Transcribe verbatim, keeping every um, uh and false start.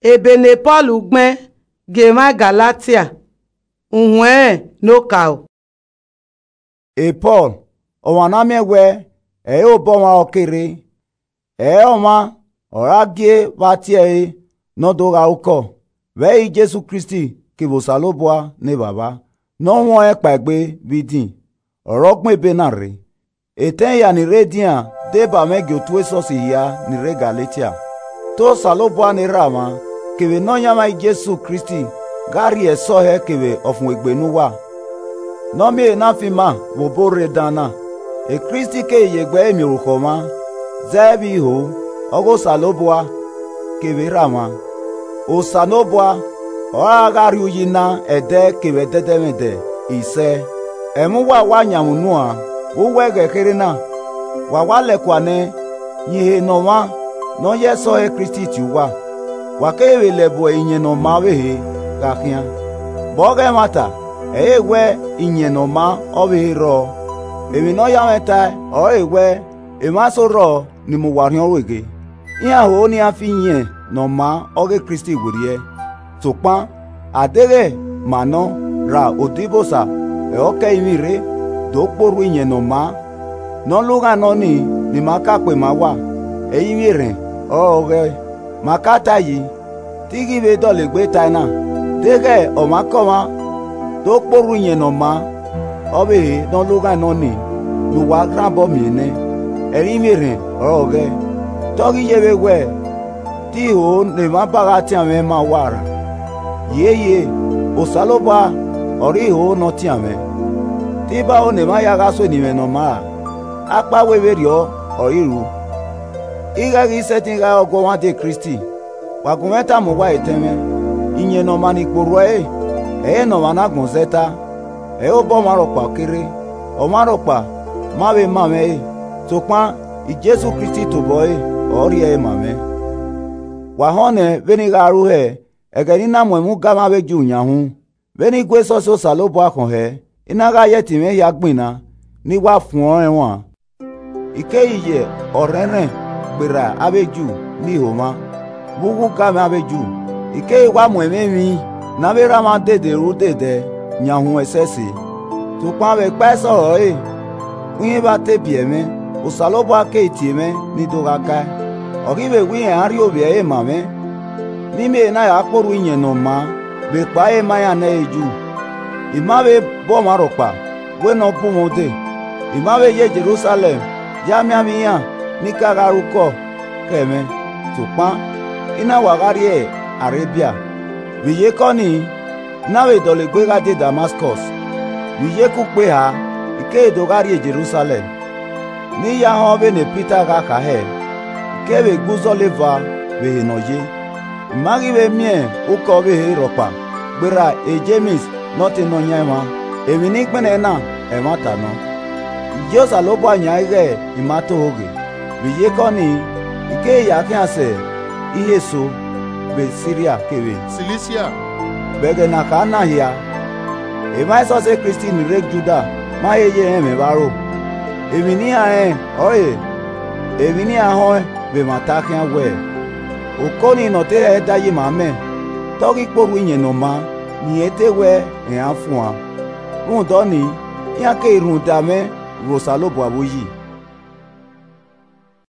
Ebe ne Pọl gbẹn gie emwa Galatia, uhuẹn ne okaro. E Pọl, ọmwa ne a miẹn wẹẹ, ẹ i re obọ ọmwa ọre ọ ke rre, ẹ i re ọmwa ọre a gie vbe a tie ẹre ne ọ do gha re ukọ, vbe ẹre Jesu Kristi kevbe Osanobua ne Evbavba, ne ọ huẹn ọnrẹn kpaegbe vbe idin, ọre ọ gbẹn ebe na rre. Etẹn hia ni rre edian deba mwẹ gie otu esọsi hia ni rre Galatia. Te Osanobua ne Erha mwa, kevbe Nọyaẹnmwa Jesu Kristi gha rhie ẹsọhẹ kevbe ọfumwegbe ne uwa, ne ọ miẹn ehe na fi ima vbe obọ rre dan na. Kristi keghi ye egbe ẹre miẹn orukhọ mwa, zẹ vbe iho, ọghe Osanobua kevbe Erha mwa. Osanobua ọre a gha rhie uyi na ẹdẹ kevbe ẹdẹdẹmwẹdẹ. Isẹ, ẹmwẹ uwa wa yan mwẹ unu a, vbe uwu ẹghẹ kherhe na, wa wa lẹkua nẹ yin ehe ne ọmwa ne ọ ya ẹsọhẹ Kristi tie uwa, wa keghi vbe lẹbọ iyẹn ne ọ maa ọvbehe gha khian. Vbe ọghe ẹmwata, ẹ i re wẹ iyẹn ne ọ maa ọvbehe rrọọ, emwi ne ọ ya mwẹ tae ọrọre wẹ, emwa eso rrọọ ni mu uwa orhiọn ru eghe. Iran ho ne iran fi iyẹn ne ọ maa ọghe Kristi werriẹ. Sokpan, a deghẹ ma nọ ra odibosa, ẹ i re ọka ẹrinmwi rre, do kpe orhu iyẹn ne ọ maa, ne ọ lughaẹn ne ọ nii, ne ima ka kpema uwa, ẹrinmwi erhẹn ọrọre ọ ghẹe. Ma ka tae yi, te I ghi vbe dọlegbe tae na, deghẹ ọmwaikọmwa do kpe orhu iyẹn ne ọ maa ọvbehe ne ọ lughaẹn ne ọ nii, ne uwa rhan obọ miẹn nẹ, ẹrinmwi erhẹn ọrọre ọ ghẹe. Te ọ ghi ye vbe wẹ, te iho ne emwa ba gha tian mwẹ ma uwa ra? Hie hie, Osanobua ọre iho ne ọ tian mwẹ. Te ibaho ne emwa hia gha sue eni mwẹ ne ọ maa ra? Akpawẹ vberriọ ọre I ru. Ighẹ ghi sẹtin gha re ọguọmwadia Kristi, wa gu mwẹ ta mu uwa etẹn mwẹ, iyẹn ne ọ maa ni kpe orhu ẹre, ẹ i re ne ọmwa ne agbọn zẹ ta, ẹ i re obọ ọmwa rhọkpa ọ ke rre. Ọmwa rhọkpa ma vbe ma mwẹ ẹre, sokpan Jesu Kristi tobọ ẹre ọre ọ rhie ẹre ma mwẹ. Wa họn nẹ vbene I gha ru hẹ ẹghẹ ne I na mu ẹmwẹ ugamwẹ avbe Ju yan uhunmwu, vbene I gu esọsi Osanobua khọn hẹ, I na gha ye ẹtin mwẹ hia gbinna, ne I wa fuẹn ọnrẹn huan. I keghi ye ọrhẹnrhẹn gberra avbe Ju ni ho mwa, vbe uwu ugamwẹ avbe Ju, I keghi wa mu ẹmwẹ emwi ne avbe erha mwa dede ru dede yan uhunmwu ẹsẹse. Sokpan vbe ekpa ẹsọhẹ ọre, uhin vbe a te biẹ mwẹ, Osanobua keghi tie mwẹ ne I do gha kae. Ọ ghi vbe wẹ irẹn a rhie ovbi ẹre ma mwẹ, ne I miẹn ehe na ya kpe orhu iyẹn ne ọ maa vbe ekpa ẹre ma iran ne ẹ i re Ju. I ma vbe bu ọmwa rhọkpa wẹ ne ọ bu mwẹ ude, I ma vbe ye Jerusalẹm ya miẹn avbe iran ni ka gha re ukọ khẹ mwẹ, sokpan I na wa gha rrie Arebia. Vbe iyeke ọnii, I na vbe dọlegbe gha die Damaskọs. Vbe iyeke ukpo eha, I keghi do gha rrie Jerusalẹm, ne I ya họn vbene Pita gha kha hẹ, I keghi vbe gbe uzọla eva vbe ehe ne ọ ye. I ma ghi vbe miẹn ukọ ọvbehe rhọkpa, gberra Jems ne ọ te Nọyaẹnmwa, emwi ne I gbẹnnẹ na ẹmwata nọ. I ye Osanobua yan ighẹ I ma toho ghe. Vbe iyeke ọnii, I keghi ya khian sẹ ihe eso vbe Siria kevbe Silisia. Vbe ẹghẹ ne a kha na hia, emwa esọsi Kristi ni rre Juda ma he ye rẹn mwẹ vbe aro. Emwi ne iran rẹn ọrọre emwi ne iran họẹn vbe ẹmwata khian wẹẹ, oko nii ne ọ te hẹ da yi ma mẹ, te ọ ghi kpe orhu iyẹn ne ọ maa, ne irẹn te wẹ ẹre a fuan. Rhunmwuda ọnii, iran keghi rhunmwuda mwẹ vbe Osanobua vbe uyi.